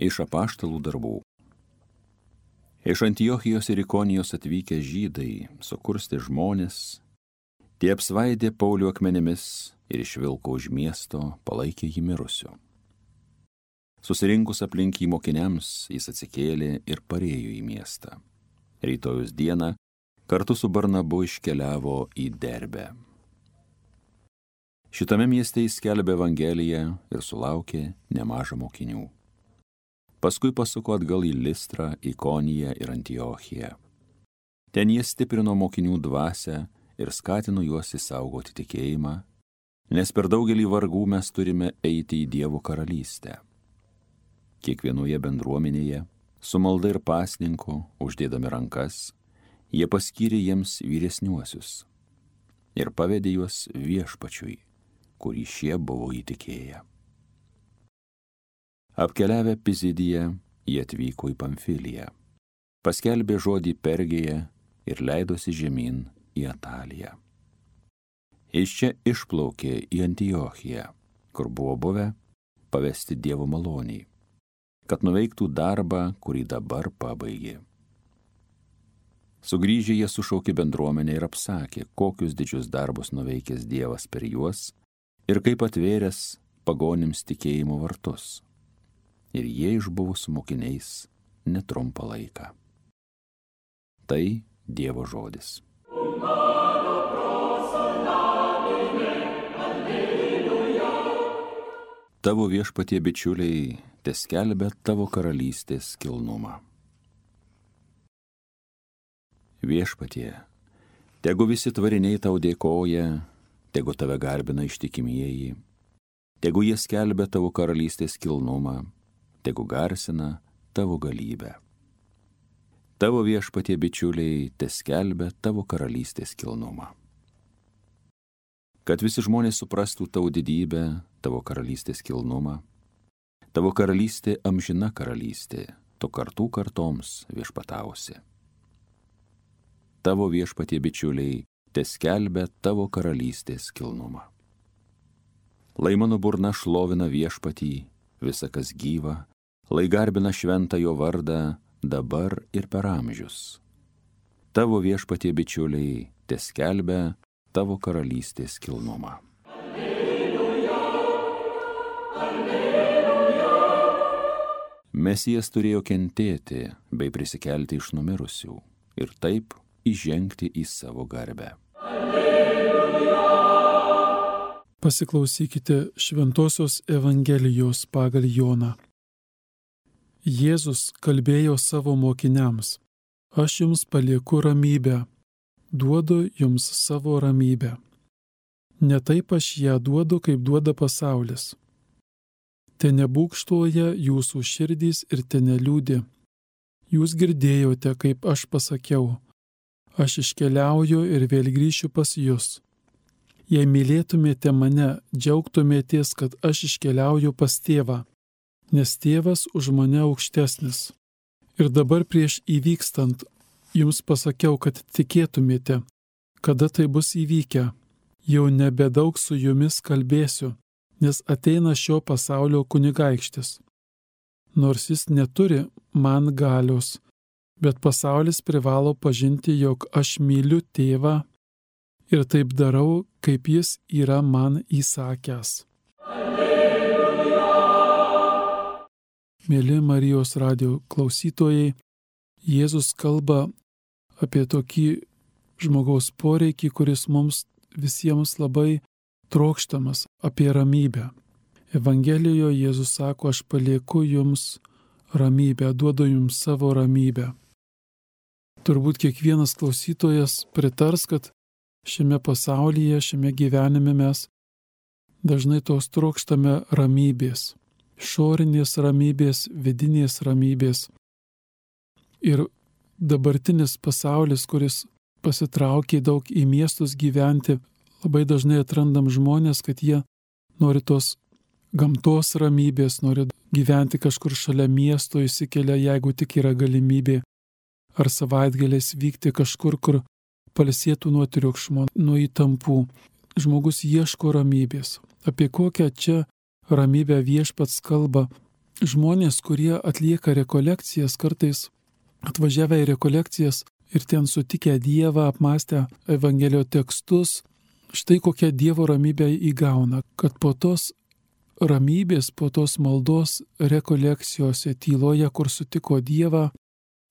Iš apaštalų darbų. Iš Antiochijos ir Ikonijos atvykę žydai, sukursti žmonės, tie apsvaidė Paulių akmenimis ir išvilko už miesto, palaikė jį mirusiu. Susirinkus aplink jį mokiniams, jis atsikėlė ir parėjo į miestą. Rytojus dieną kartu su Barnabu iškeliavo į Derbę. Šitame mieste jis skelbė Evangeliją ir sulaukė nemaža mokinių. Paskui pasuko atgal į Listrą, Ikoniją ir Antiochiją. Ten jie stiprino mokinių dvasią ir skatino juos išsaugoti tikėjimą, nes per daugelį vargų mes turime eiti į Dievo karalystę. Kiekvienoje bendruomenėje, su malda ir pasninku, uždėdami rankas, jie paskyrė jiems vyresniuosius ir pavedė juos Viešpačiui, kurį šie buvo įtikėję. Apkeliavę Pizidiją, jie atvyko į Pamfiliją, paskelbė žodį Pergėje ir leidosi žemyn į Ataliją. Iš čia išplaukė į Antiochiją, kur buvo buvę pavesti Dievo maloniai, kad nuveiktų darbą, kurį dabar pabaigė. Sugrįžę jie sušaukė bendruomenę ir apsakė, kokius didžius darbus nuveikęs Dievas per juos ir kaip atvėręs pagonims tikėjimo vartus. Ir jie išbuvo su mokiniais netrumpą laiką. Tai Dievo žodis. Tavo Viešpatie bičiuliai teskelbia tavo karalystės kilnumą. Viešpatie, tegu visi tvariniai tau dėkoja, tegu tave garbina ištikimieji, tegu jie skelbia tavo karalystės kilnumą, tegu garsina tavo galybę. Tavo Viešpatie bičiuliai teskelbia tavo karalystės kilnumą. Kad visi žmonės suprastų tavo didybę, tavo karalystės kilnumą, tavo karalystė amžina karalystė, tu kartų kartoms viešpatausi. Tavo Viešpatie bičiuliai teskelbia tavo karalystės kilnumą. Lai mano burna šlovina Viešpatį, visa kas gyva, lai garbina šventą jo vardą dabar ir per amžius. Tavo Viešpatie bičiuliai teskelbia tavo karalystės kilnumą. Alleluja, alleluja. Mesijas turėjo kentėti bei prisikelti iš numirusių ir taip įžengti į savo garbę. Alleluja. Pasiklausykite Šventosios Evangelijos pagal Joną. Jėzus kalbėjo savo mokiniams: Aš jums palieku ramybę, duodu jums savo ramybę. Ne taip aš ją duodu, kaip duoda pasaulis. Te nebūgštuoja jūsų širdys ir te neliūdi. Jūs girdėjote, kaip aš pasakiau: Aš iškeliauju ir vėl grįšiu pas jus. Jei mylėtumėte mane, džiaugtumėtės, kad aš iškeliauju pas tėvą, nes tėvas už mane aukštesnis. Ir dabar prieš įvykstant jums pasakiau, kad tikėtumėte, kada tai bus įvykę. Jau nebedaug su jumis kalbėsiu, nes ateina šio pasaulio kunigaikštis. Nors jis neturi man galios, bet pasaulis privalo pažinti, jog aš myliu tėvą ir taip darau, kaip jis yra man įsakęs. Mėly Marijos radijo klausytojai, Jėzus kalba apie tokį žmogaus poreikį, kuris mums visiems labai trokštamas, apie ramybę. Evangelijoje Jėzus sako: Aš palieku jums ramybę, duodu jums savo ramybę. Turbūt kiekvienas klausytojas pritars, kad šiame pasaulyje, šiame gyvenime mes dažnai tos trokštame ramybės. Išorinės ramybės, vidinės ramybės. Ir dabartinis pasaulis, kuris pasitraukė daug į miestus gyventi, labai dažnai atrandam žmonės, kad jie nori tos gamtos ramybės, nori gyventi kažkur šalia miesto, įsikelia, jeigu tik yra galimybė, ar savaitgaliais vykti kažkur, kur pailsėtų nuo triukšmo, nuo įtampų. Žmogus ieško ramybės. Apie kokią čia ramybę Viešpats kalba, žmonės, kurie atlieka rekolekcijas, kartais atvažiavę į rekolekcijas ir ten sutikę Dievą, apmąstę Evangelijos tekstus, štai kokią Dievo ramybę įgauna, kad po tos ramybės, po tos maldos rekolekcijose, tyloje, kur sutiko Dievą,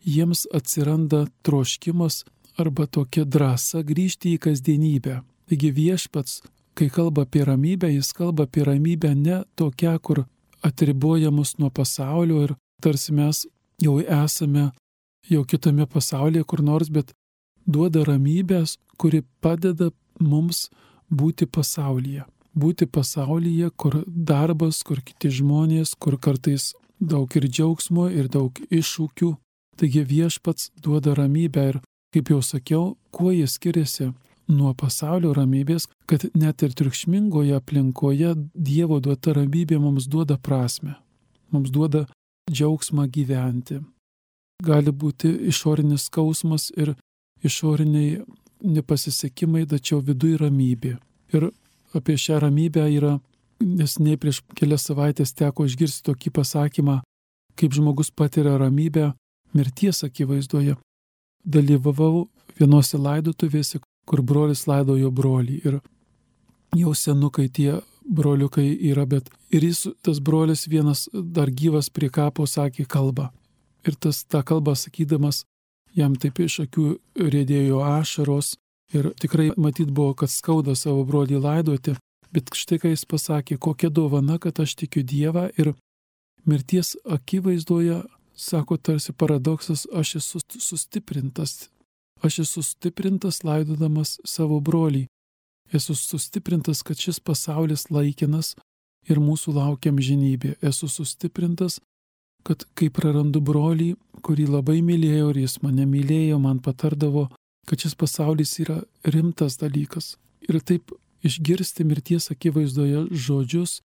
jiems atsiranda troškimas arba tokia drąsa grįžti į kasdienybę. Taigi Viešpats, kai kalba apie ramybę, jis kalba apie ramybę ne tokią, kur atriboja mus nuo pasaulio ir tarsi mes jau esame jau kitame pasaulyje kur nors, bet duoda ramybės, kuri padeda mums būti pasaulyje. Būti pasaulyje, kur darbas, kur kiti žmonės, kur kartais daug ir džiaugsmo, ir daug iššūkių. Taigi Viešpats duoda ramybę ir, kaip jau sakiau, kuo jis skiriasi nuo pasaulio ramybės, kad net ir triukšmingoje aplinkoje Dievo duota ramybė mums duoda prasmę, mums duoda džiaugsmą gyventi. Gali būti išorinis skausmas ir išoriniai nepasisekimai, tačiau viduje ramybė. Ir apie šią ramybę yra, neseniai prieš kelias savaitės teko išgirsti tokį pasakymą, kaip žmogus patiria ramybę mirties akivaizdoje. Dalyvavau vienose laidotuvėse, kur brolis laidojo brolį ir jau senukai tie broliukai yra, bet ir jis, tas brolis vienas dar gyvas prie kapo sakė kalbą. Ir tą kalbą sakydamas, jam taip iš akių riedėjo ašaros ir tikrai matyt buvo, kad skauda savo brolį laidoti, bet štai ką jis pasakė, kokia dovana, kad aš tikiu Dievą ir mirties akivaizdoje, sako tarsi paradoksas, aš esu sustiprintas. Aš esu sustiprintas laidodamas savo brolį. Esu sustiprintas, kad šis pasaulis laikinas ir mūsų laukia amžinybė. Esu sustiprintas, kad kai prarandu brolį, kurį labai mylėjau ir jis mane mylėjo, man patardavo, kad šis pasaulis yra rimtas dalykas. Ir taip išgirsti mirties akivaizdoje žodžius,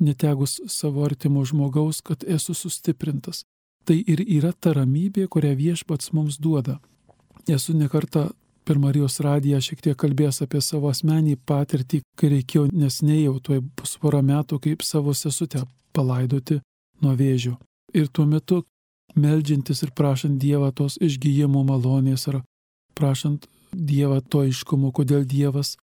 netegus savo artimo žmogaus, kad esu sustiprintas. Tai ir yra ta ramybė, kurią Viešpats mums duoda. Esu nekartą per Marijos radiją šiek tiek kalbėjęs apie savo asmenį patirtį, kai reikėjo neseniai jau tuoj bus porą metų, kaip savo sesutę palaidoti nuo vėžio. Ir tuo metu meldžiantis ir prašant Dievą tos išgijimo malonės ar prašant Dievą to aiškumo, kodėl Dievas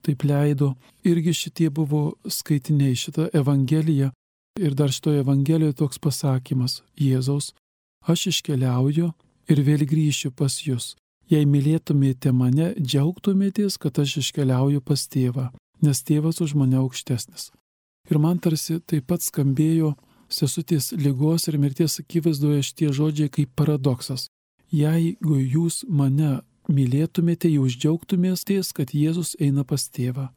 taip leido. Irgi šitie buvo skaitiniai, šitą Evangeliją. Ir dar šitoje Evangelijoje toks pasakymas Jėzaus: aš iškeliauju ir vėl grįšiu pas jus. Jei mylėtumėte mane, džiaugtumėtės, kad aš iškeliauju pas tėvą, nes tėvas už mane aukštesnis. Ir man tarsi taip pat skambėjo sesutės ligos ir mirties akivaizdoje šitie žodžiai kaip paradoksas. Jeigu jūs mane mylėtumėte, jūs džiaugtumėtės, kad Jėzus eina pas tėvą.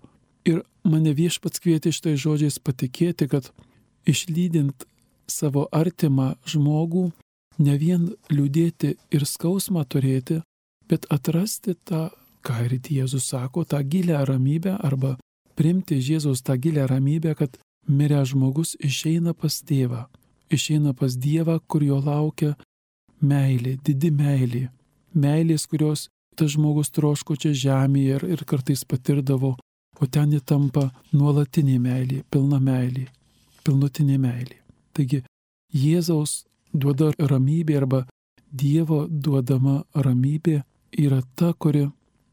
Ir mane Viešpats kvietė šitais žodžiais patikėti, kad išlydint savo artimą žmogų, ne vien liūdėti ir skausmą turėti, bet atrasti tą, ką ir Jėzus sako, tą gilią ramybę arba priimti Jėzaus tą gilią ramybę, kad miręs žmogus išeina pas tėvą, išeina pas Dievą, kur jo laukia meilė, didi meilė. Meilės, kurios tas žmogus troško čia žemėje ir kartais patirdavo, o ten įtampa nuolatinė meilė, pilna meilė, pilnutinė meilė. Taigi Jėzaus duoda ramybė arba Dievo duodama ramybė yra ta, kuri,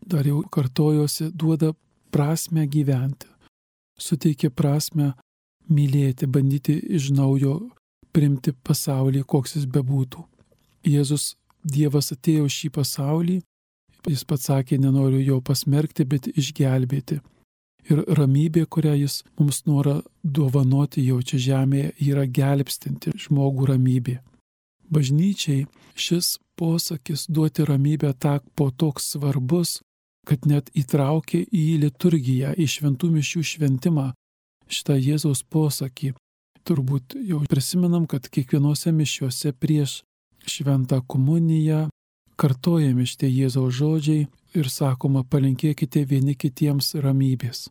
dar jau kartojosi, duoda prasmę gyventi, suteikia prasmę mylėti, bandyti iš naujo priimti pasaulį, koks jis bebūtų. Jėzus, Dievas atėjo šį pasaulį, jis pats sakė, nenoriu jo pasmerkti, bet išgelbėti. Ir ramybė, kurią jis mums nori dovanoti jau čia žemėje, yra gelbstinti žmogų ramybė. Bažnyčiai šis posakis duoti ramybę tapo toks svarbus, kad net įtraukė į liturgiją, į šventų mišių šventimą šitą Jėzaus posakį. Turbūt jau prisimenam, kad kiekvienose mišiuose prieš šventą komuniją kartojami šitie Jėzaus žodžiai ir sakoma, palinkėkite vieni kitiems ramybės.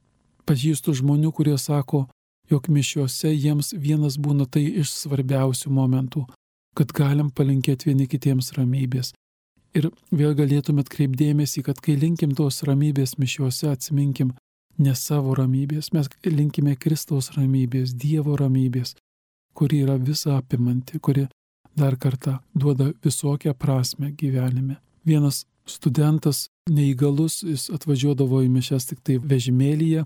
Pažįstu žmonių, kurie sako, jog mišiuose jiems vienas būna tai iš svarbiausių momentų, kad galim palinkėti vieni kitiems ramybės. Ir vėl galėtume atkreipdėmėsi, kad kai linkim tos ramybės mišiuose, atsiminkim ne savo ramybės, mes linkime Kristaus ramybės, Dievo ramybės, kuri yra visa apimanti, kuri dar kartą duoda visokią prasme gyvenime. Vienas studentas, neįgalus, jis atvažiuodavo į mišias tik tai vežimėlyje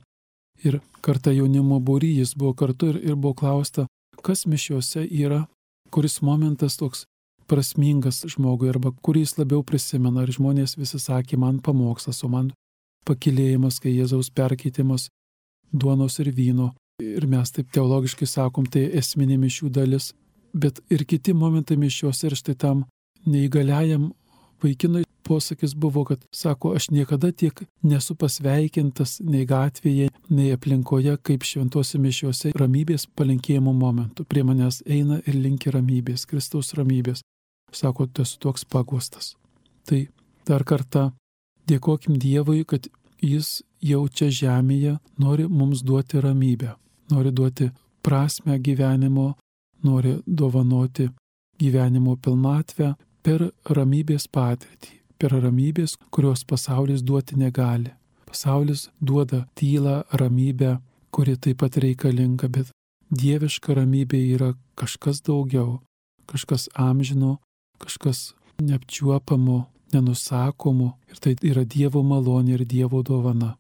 ir kartą jaunimo būry jis buvo kartu ir buvo klausta, kas mišiuose yra, kuris momentas toks prasmingas žmogui arba kurį jis labiau prisimena. Ir žmonės visi sakė, man pamokslas, o man pakylėjimas, kai Jėzaus perkeitimas duonos ir vyno. Ir mes taip teologiškai sakom, tai esminė mišių dalis. Bet ir kiti momentai mišiuose ir štai tam neįgaliajam vaikinui posakis buvo, kad sako, aš niekada tiek nesu pasveikintas nei gatvėje, nei aplinkoje, kaip šventose mišiuose ramybės palinkėjimo momentu. Prie manęs eina ir linki ramybės, Kristaus ramybės. Sako, tu esi toks paguostas. Tai dar kartą dėkokim Dievui, kad Jis jau čia žemėje nori mums duoti ramybę, nori duoti prasmę gyvenimo, nori dovanoti gyvenimo pilnatvę per ramybės patirtį, per ramybės, kurios pasaulis duoti negali. Pasaulis duoda tylą, ramybę, kuri taip pat reikalinga, bet dieviška ramybė yra kažkas daugiau, kažkas amžino, kažkas neapčiuopamo, nenusakomo, ir tai yra Dievo malonė ir Dievo dovana.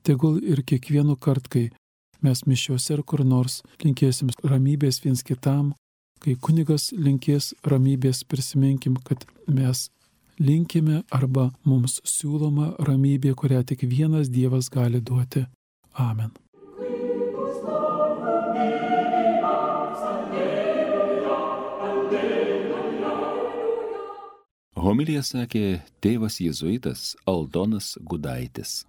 Tegul ir kiekvienu kart, kai mes mišiuose ar kur nors linkėsim ramybės viens kitam, kai kunigas linkės ramybės, prisiminkim, kad mes linkime arba mums siūloma ramybė, kurią tik vienas Dievas gali duoti. Amen. Homiliją sakė tėvas jėzuitas Aldonas Gudaitis.